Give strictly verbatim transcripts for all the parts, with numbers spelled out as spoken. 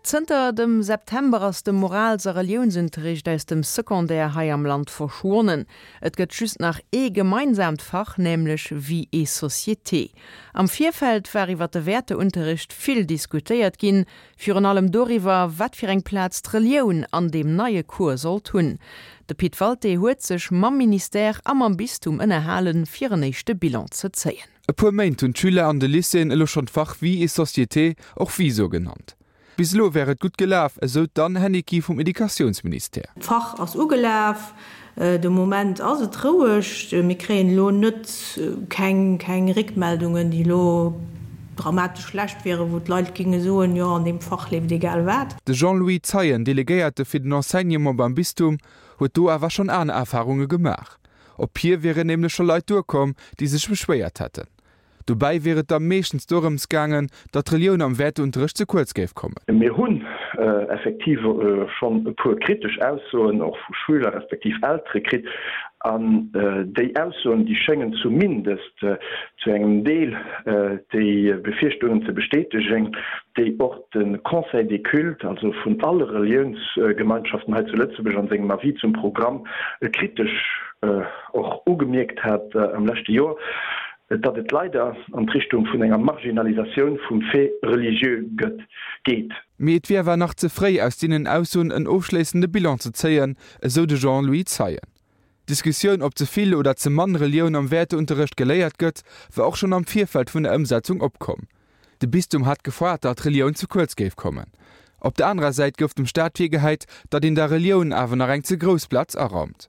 Zënter dem September ass de Morals a Reliounsunterricht aus dem Secondaire hei am Land verschwonnen. Et gëtt just nach ee gemeinsaamt Fach, nämlech Vie et Société. Am Virfeld war iwwer de Wäerteunterricht vill diskutéiert ginn, virun allem doriwwer, wat fir eng Plaz d'Relioun an deem neie Cours sollt hunn. De Pit Walté huet sech mam Ministère a mam Bistum ënnerhalen, fir en éischte Bilan ze zéien. E puer Méint hunn d'Schüler an de Lycéeën elo schonn d'Fach Vie et Société, och VISO genannt. Bis elo wär et gutt gelaf, esou d'Anne Henniki vum Educatiounsministère. D'Fach ass ugelaf, de Moment ass et roueg. Mir kréien elo net keng keng Réckmeldungen, déi elo dramatesch schlecht wieren, wou d'Leit géinge soen, jo an deem Fach leeft egal wat. De Jean-Louis Zeien, Delegéierte fir den Enseignement beim Bistum, huet do awer schonn aner Erfarunge gemaach. Op hie wieren nämlech scho Leit duerkomm, déi sech beschwéiert hätten. Dobäi wier et da meeschtens dorëms gaangen, datt d'Relioun am Wäerteunterrecht ze kuerz géif kommen. Mir hunn effektiv schonn e puer kritesch Aussoen och vu Schüler respektiv Eltere kritt. An déi Aussoen, déi schéngen zumindest zu engem Deel déi Befierchtungen ze bestätegen, déi och de Conseil des cultes, also vun alle Reliounsgemeinschaften hei zu Lëtzebuerg, an sengem Avis zum Programm kritesch och ugemierkt hat am leschte Joer. datt et leider an d'Richtung vun enger Marginalisatioun vum Fait religieux gëtt, geet. Mee et wier awer nach ze fréi, aus deenen Aussoen en ofschléissende Bilan ze zéien, esou de Jean-Louis Zeien. D'Diskussioun, ob ze vill oder ze mann Relioun am Wäerteunterrecht geléiert gëtt, war och schonn am Virfeld vun der Ëmsetzung opkomm. De Bistum hat gefoart, datt Relioun ze kuerz géif kommen. Op der anerer Säit gouf dem Staat virgehäit, datt een der Relioun awer nach eng ze grouss Plaz araumt.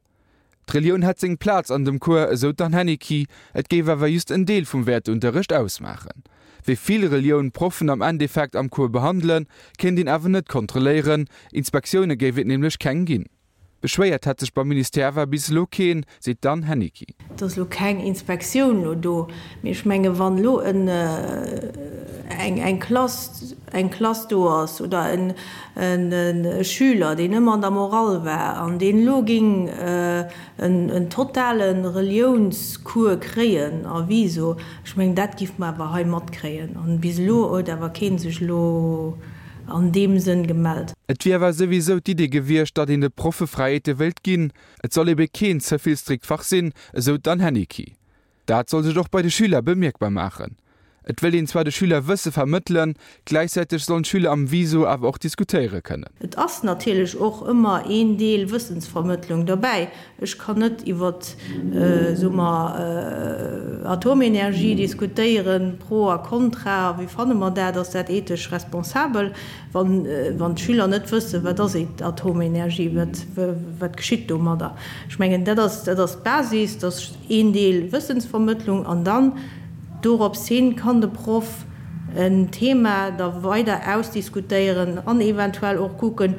D'Relioun hätt seng Plaz an dem Cours, esou d'Anne Henniki, et géif awer just en Deel vum Wäerteunterrecht ausmaachen. Wéi vill Relioun d'Proffen am Endeffekt am Cours behandelen, kéint een awer net kontrolléieren, Inspektioune géif et nämlech keng ginn. Beschwéiert hätt sech beim Ministère awer bis elo keen, seet d'Anne Henniki. Et ass elo keng Inspektioun elo do, mee ech menge wann elo en eng eng Klass eng Klass do ass oder en e Schüler, deen ëmmer an der Morale war an deen elo géing en totale Reliounscours kréien a Viso, ech mengen, dat géife mer awer hei matkréien. An bis elo huet awer kee sech elo an deem Sënn gemellt. Et wier awer souwisou d'Idee gewiescht, datt een de Proffe Fräiheete wéilt ginn. Et soll ebe keen ze vill strikt Fach sinn, esou d'Anne Henniki. Dat soll sech och bei de Schüler bemierkbar maachen. Et wëllt een zwar de Schüler Wësse vermëttelen, gläichzäiteg sollen d'Schüler am Viso awer och diskutéiere kënnen. Et ass natierlech och ëmmer een Deel Wëssensvermëttlung derbäi. Ech kann net iwwer, soe mer, Atomenergie diskutéieren, pro a contra, wéi fanne mer dat, ass dat ethesch responsabel, wann d'Schüler net wëssen, wat ass Atomenergie, wat geschitt domadder. Ech mengen, dat ass d'Basis, dat ass een Deel Wëssensvermëttlung an dann, Dorops hin kann de Proff en Thema da weider ausdiskutéieren an eventuell och kucken,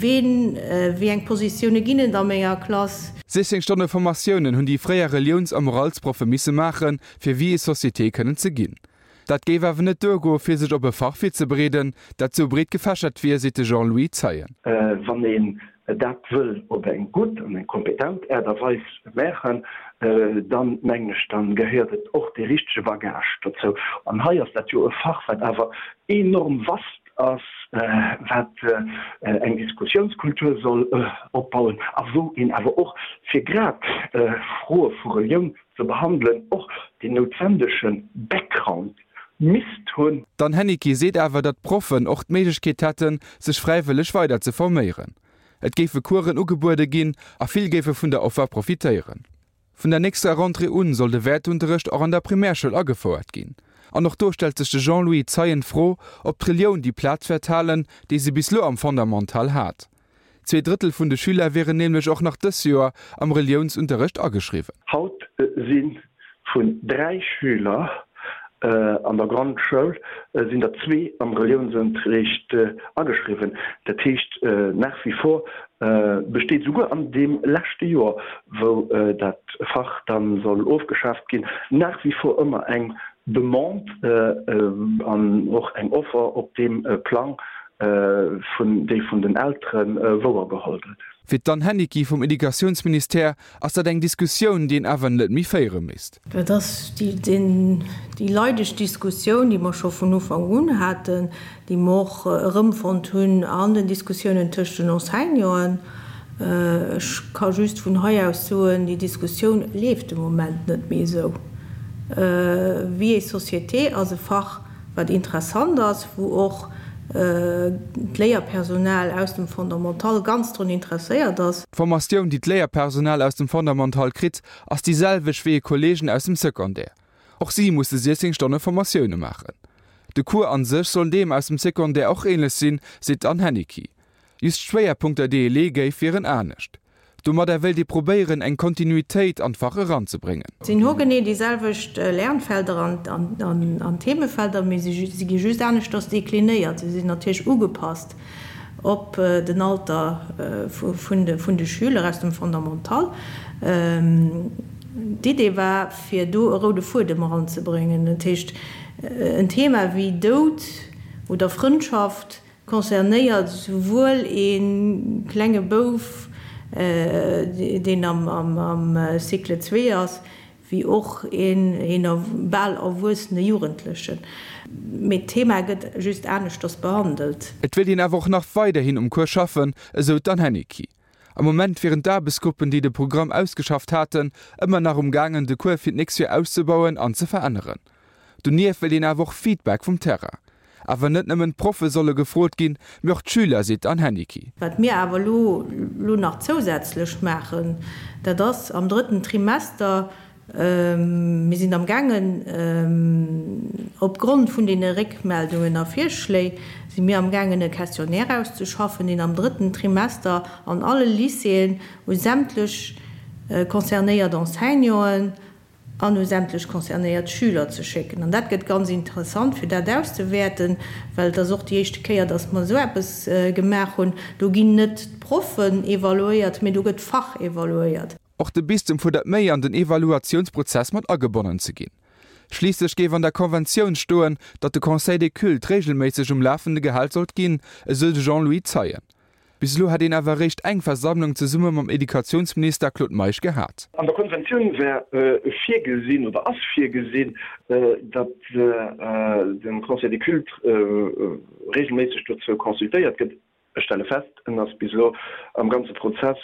ween, wéi eng Positioune ginn et a menger Klass. Sichzéng Stonne Formatiounen hunn déi fréier Reliouns a Moralsproffe misse maachen, fir Vie et Société kënnen ze ginn. Dat géif awer net duergoe fir sech op e Fach virzebereeden, dat sou breet gefächert wier, seet de Jean-Louis Zeien. Wann een dat wëll op eng gutt an eng kompetent Aart a Weis maachen, dann, mengen ech, dann gehéiert et och dee richtege Bagage dozou. An hei ass dat jo e Fach, wat awer enorm vast ass, wat eng Diskussiounskultur soll opbauen a wou een awer och, fir grad Froe vu Relioun ze behandelen, och deen noutwendege Background misst hunn. D'Anne Henniki seet awer, datt d'Proffen och d'Méiglechkeet hätten, sech fräiwëlleg weider ze forméieren. Et géife Coursen ugebuede ginn a vill géife vun der Offer profitéieren. Vun der nächster Rentrée un soll de Wäerteunterrecht och an der Primärschoul agefouert ginn. An och do stellt sech de Jean-Louis Zeien d'Fro, ob d'Relioun déi Plaz wäert halen, déi se bis lo am Fondamental hat. Zwee Drëttel vun de Schüler wieren nämlech och nach dës Joer am Reliounsunterrecht ageschriwwen. Haut si vun dräi Schüler an der Grondschoul sinn der zwee am Reliounsunterricht ageschriwwen. Dat heescht, nach wie vor besteet souguer an deem leschte Joer, wou dat Fach da soll ofgeschaaft ginn, nach wie vor ëmmer eng Demande an och eng Offer op deem Plang, vun déi vun den Eltere wouergeholl gëtt. Fir d'Anne Henniki vum Educatiounsministère ass dat eng Diskussioun, déi een awer net méi féiere misst. Dat ass déi leideg Diskussioun, déi mer scho vun Ufank un haten, déi mer och erëmfonnt hunn an den Diskussiounen tëscht den Enseignanten. Ech ka just vun hei aus soen, déi Diskussioun leeft de Moment net méi esou. Vie et société ass e Fach, wat interessant ass, wou och d'Léierpersonal aus dem Fondamental ganz drun interesséiert ass. D'Formatioun, déi d'Léierpersonal aus dem Fondamental kritt, ass déi selwecht wéi hir Kolleegen aus dem Secondaire. Och si musse siechzéng Stonne Formatioune maachen. De Cours a sech soll deem aus dem Secondaire och änlech sinn, seet d'Anne Henniki. Just d'Schwéierpunkter, déi ee leeë géif, wieren anescht. Domadder wéilt ee probéieren, eng Kontinuitéit an d'Fach eranzebréngen. Sinn hu genee déi selwecht Lernfelder an Themefelder, mee si gi just aneschters deklinéiert. Si sinn natierlech ugepasst op den Alter vun de Schüler aus dem Fondamental. D'Idee war, fir do e roude Fuedem eranzebréngen. Dat heescht, en Thema wéi Doud oder Frëndschaft concernéiert souwuel ee klenge Bouf, deen am Cycle zwee ass, wéi och een bal erwuessene Jugendlechen. Mee d'Thema gëtt just aneschters behandelt. Et wéilt een awer och nach weiderhin um Cours schaffen, esou d'Anne Henniki. Am Moment wieren d'Aarbechtsgruppen, déi de Programm ausgeschafft haten, ëmmer nach um gaangen, de Cours fir d'nächst Joer auszebauen an ze veränneren. Donieft wéilt een awer och Feedback vum Terrain. Awer net nëmmen d'Proffe solle gefrot ginn, mee och d'Schüler, seet d'Anne Henniki. Wat mir awer elo elo nach zousätzlech maachen, dat ass am drëtten Trimester, mir sinn amgaangen, opgrond vun deene Réckmeldungen a Virschléi si mir amgaangen e Questionnaire auszeschaffen, deen am drëtten Trimester an alle Lycéeën u sämtlech concernéiert Enseignanten an u sämtlech concernéiert Schüler ze schécken. An dat gëtt ganz interessant, fir dat auszewäerten, well et ass och déi éischte Kéier, dass mer esou eppes gemaach hunn. Do ginn net d'Proffen evaluéiert, mee do gëtt d'Fach evaluéiert. Och de Bistum fuerdert méi an den Evaluatiounsprozess mat agebonnen ze ginn. Schliisslech géif an der Konventioun stoen, datt de Conseil des Cultes reegelméisseg um Lafende gehal sollt ginn, esou de Jean-Louis Zeien. Bis elo hätt een awer eréischt eng Versammlung zesumme mam Educatiounsminister Claude Meisch gehat. An der Konventioun wär virgesinn oder ass virgesinn, datt de Conseil des Cultes reegelméisseg dozou consultéiert gëtt. Ech stelle fest, en ass bis elo am ganze Prozess,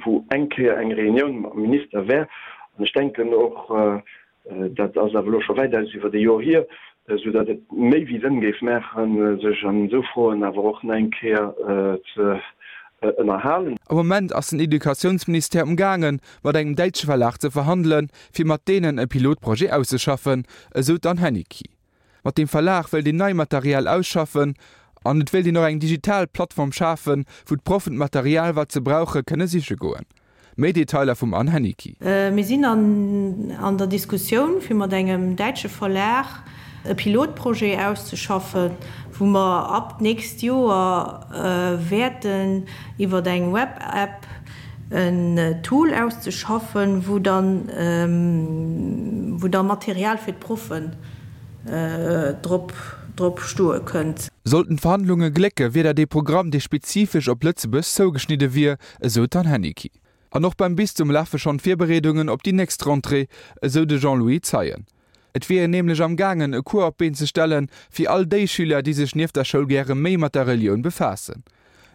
wou eng Kéier eng Reunioun mam Minister wär, an ech denken och, dat ass awer elo scho wäitaus iwwert e Joer hier, soudatt et méi wéi Sënn géif maachen, sech an esou Froen awer och nach eng Kéier ze ënnerhalen. Am Moment ass den Educatiounsministère umgaangen, mat engem däitsche Verlag ze verhandelen, fir mat deenen e Pilotprojet auszeschaffen, esou d'Anne Henniki. Mat deem Verlag wëllt een nei Material ausschaffen an et wéilt een och eng digital Plattform schafen, wou d'Proffen d'Material, wat se brauche, kënne siche goen. Méi Detailer vum Anne Henniki. Mir sinn an der Diskussioun, fir mat engem däitsche Verlag e Pilotprojet auszeschaffen, wou mer ab d'nächst Joer wäerten iwwer eng Web-App en Tool auszeschaffen, wou dann wou da Material fir d'Proffen drop drop stoe kënnt. Sollten d'Verhandlunge glécke wier dat ee Programm, dee spezifesch op Lëtzebuerg zougeschnidde wier, esou d'Anne Henniki. An och beim Bistum lafe schonn d'Virbereedungen op déi nächst Rentrée, esou de Jean-Louis Zeien. Et wier een nämlech am gaangen, e Cours op d'Been ze stellen, fir all déi Schüler, déi sech nieft der Schoul gäre méi mat der Relioun befaassen.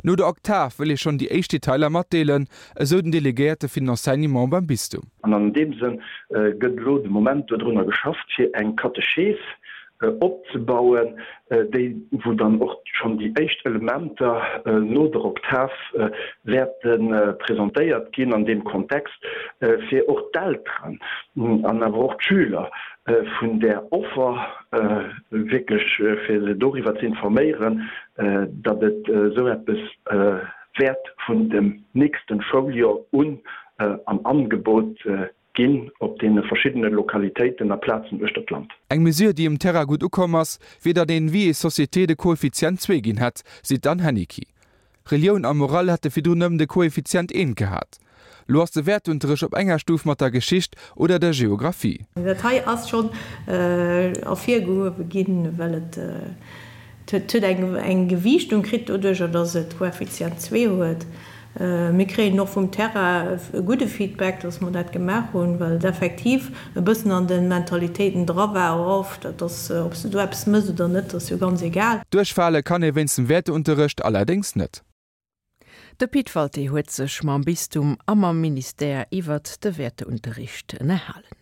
No der Oktav wëll ee schonn déi éischt Detailer matdeelen, esou den Delegéierte fir den Enseignement beim Bistum. An an deem Sënn gëtt elo de Moment dodrunner geschafft, fir eng Katechees opzebauen, déi wou dann och schonn déi éischt Elementer no der Oktav wäerte presentéiert ginn an deem Kontext, fir och d'Elteren an awer och d'Schüler vun där Offer wierklech, fir se doriwwer ze informéieren, datt et esou eppes wäert vun dem nächste Schouljoer un am Angebot ginn op deene verschiddene Lokalitéiten a Plazen uechter d'Land. Eng Mesure, déi um Terrain gutt ukomm ass, wier, datt een Vie et société de Koeffizient zwee ginn hätt, seet d'Anne Henniki. Relioun a Morale hätte virdrun nëmmen de Koeffizient eent gehat. Lo ass de Wäertunterrecht op enger Stuf mat der Geschicht oder der Geographie. Dat hei ass schonn ervirgehuewe ginn, well et Et huet eng eng Gewiichtung kritt doduercher, dass et Koeffizient zwee huet. Mir kréien och vum Terrain e gudde Feedback, dass mer dat gemaach hunn, well et effektiv e bëssen an de Mentalitéiten dra war, oh, dat ass, ob s de do eppes méchs oder net, ass jo ganz egal. Duerchfale kann ee wéinst dem Wäerteunterrecht allerdéngs net. De Pit Walté huet sech mam Bistum a mam Ministère iwwert de Wäerteunterricht ënnerhalen.